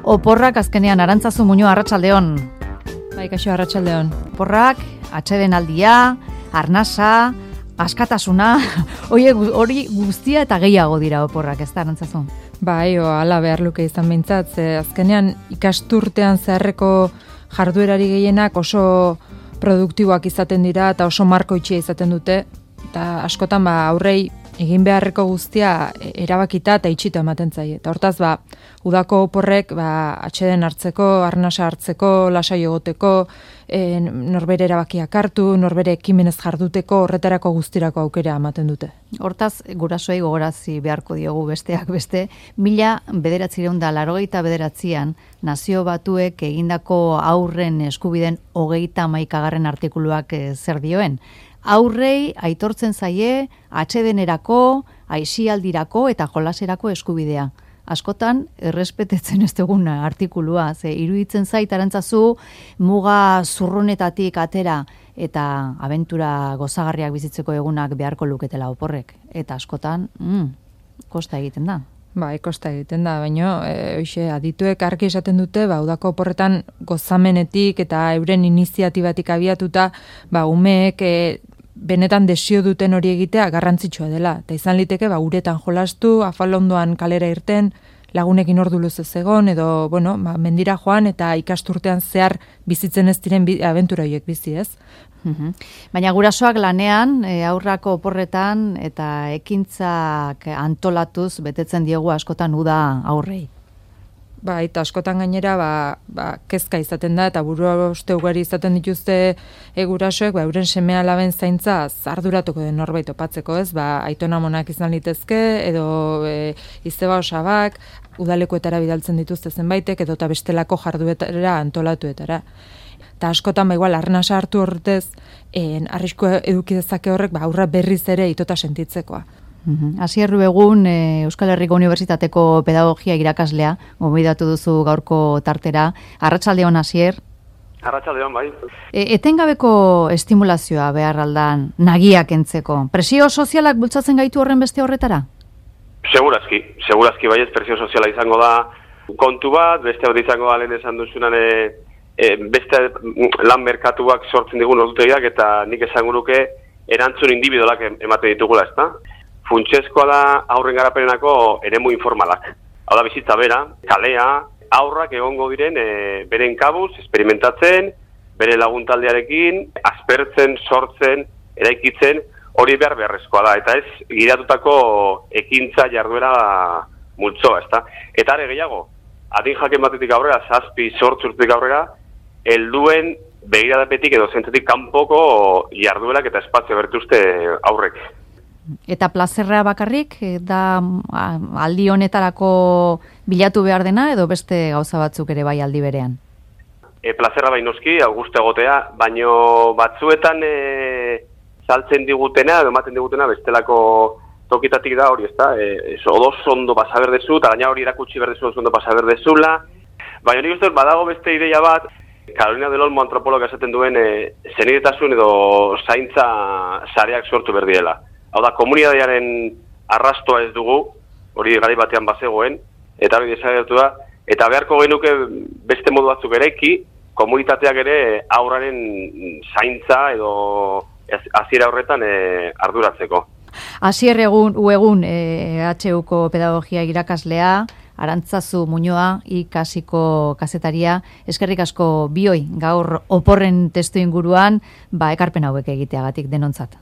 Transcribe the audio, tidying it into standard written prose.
Oporrak azkenean Arantzazu Muñoa, arratsaldeon. Bai, kaixo, arratsaldeon. Oporrak, atsedenaldia, arnasa, askatasuna, hori guztia eta gehiago dira oporrak, ez da, Arantzazu? Bai, hala behar luke izan behintzat, azkenean ikasturtean zeharreko jarduerari gehienak oso produktiboak izaten dira eta oso markoitxia izaten dute, eta askotan aurrei egin beharreko guztia erabakita eta itxita ematen zaie. Eta hortaz, udako oporrek atseden hartzeko, arnasa hartzeko, lasai egoteko, norbere erabakiak hartu, norbere ekimenez jarduteko, horretarako guztirako aukera ematen dute. Hortaz, gurasoei gogorazi beharko diogu besteak beste, 1989an Nazio Batuek egindako haurren eskubideen 39. artikuluak zer dioen. Aurrei aitortzen zaie atsedenerako, aisialdirako eta jolaserako eskubidea. Askotan, errespetetzen ez dugun artikulua, iruditzen zait Arantzazu muga zurrunetatik atera eta abentura gozagarriak bizitzeko egunak beharko luketela oporrek. Eta askotan, kosta egiten da. Bai, kosta egiten da, baina adituek argi esaten dute, udako oporretan gozamenetik eta euren iniziatibatik abiatuta, umeek benetan desio duten hori egitea garrantzitsua dela. Eta izan liteke, uretan jolastu, afalondoan kalera irten, lagunekin ordu luzez egon, edo, mendira joan eta ikasturtean zehar bizitzen ez diren abentura horiek bizi, ez? Baina gurasoak lanean, aurrako oporretan eta ekintzak antolatuz betetzen diegu askotan uda aurrei. Eta askotan gainera kezka izaten da eta buruhauste ugari izaten dituzte gurasoek euren seme-alaben zaintza arduratuko den norbait topatzeko, ez? Aitona-amonak izan litezke edo izeba osabak, udalekuetara bidaltzen dituzte zenbaitek edo eta bestelako jarduetara antolatuetara. Eta askotan igual arnasa hartu horretez arriskua eduki dezake horrek aurra berriz ere itota sentitzekoa. Asier Ruegun, Euskal Herriko Unibertsitateko pedagogia irakaslea, gonbidatu duzu gaurko tartera. Arratsaldeon, Asier. Arratsaldeon, bai. Etengabeko estimulazioa behar aldan nagiak entzeko. Presio sozialak bultzatzen gaitu horren beste horretara? Segurazki baiez presio soziala izango da kontu bat, beste hori izango da lehen esan duzunan beste lan merkatuak sortzen digun ordutegiak eta nik esango nuke erantzun individualak emate ditugula, ezta? Funtsezkoa da aurren garapenenako eremu informalak. Hau da bizitza bera, kalea, aurrak egongo diren beren kabuz, experimentatzen, bere laguntaldearekin, aspertzen, sortzen, eraikitzen, hori beharrezkoa da. Eta ez, gidatutako ekintza jarduera multzoa, ezta? Eta are gehiago, adin jaken batetik aurrera, 7-8 urtetik aurrera, helduen begiradapetik edo zentzetik kanpoko jarduerak eta espazio bertuzte aurrek. Eta plazerra bakarrik, da aldi honetarako bilatu behar dena edo beste gauza batzuk ere bai aldi berean? Plazerra bai noski, auguste egotea, baino batzuetan saltzen digutena edo ematen digutena bestelako tokitatik da hori, ezta? Odos ondo pasa berdezu, eta gaina hori erakutsi berdezu ondo pasa berdezula. Baina nik uste badago beste ideia bat, Carolina del Olmo antropologa esaten duen zenidetasun edo zaintza sareak sortu berdiela. Hau da, komunitatearen arrastoa ez dugu, hori garai batean bazegoen, eta hori desagertu da, eta beharko genuke beste modu batzuk eraiki, komunitateak ere aurraren zaintza edo hasiera horretan arduratzeko. Asier Ruegun, HUko pedagogia irakaslea, Arantzazu Muñoa, ikasiko kazetaria, eskerrik asko bioi gaur oporren testu inguruan, ekarpen hauek egiteagatik denontzat.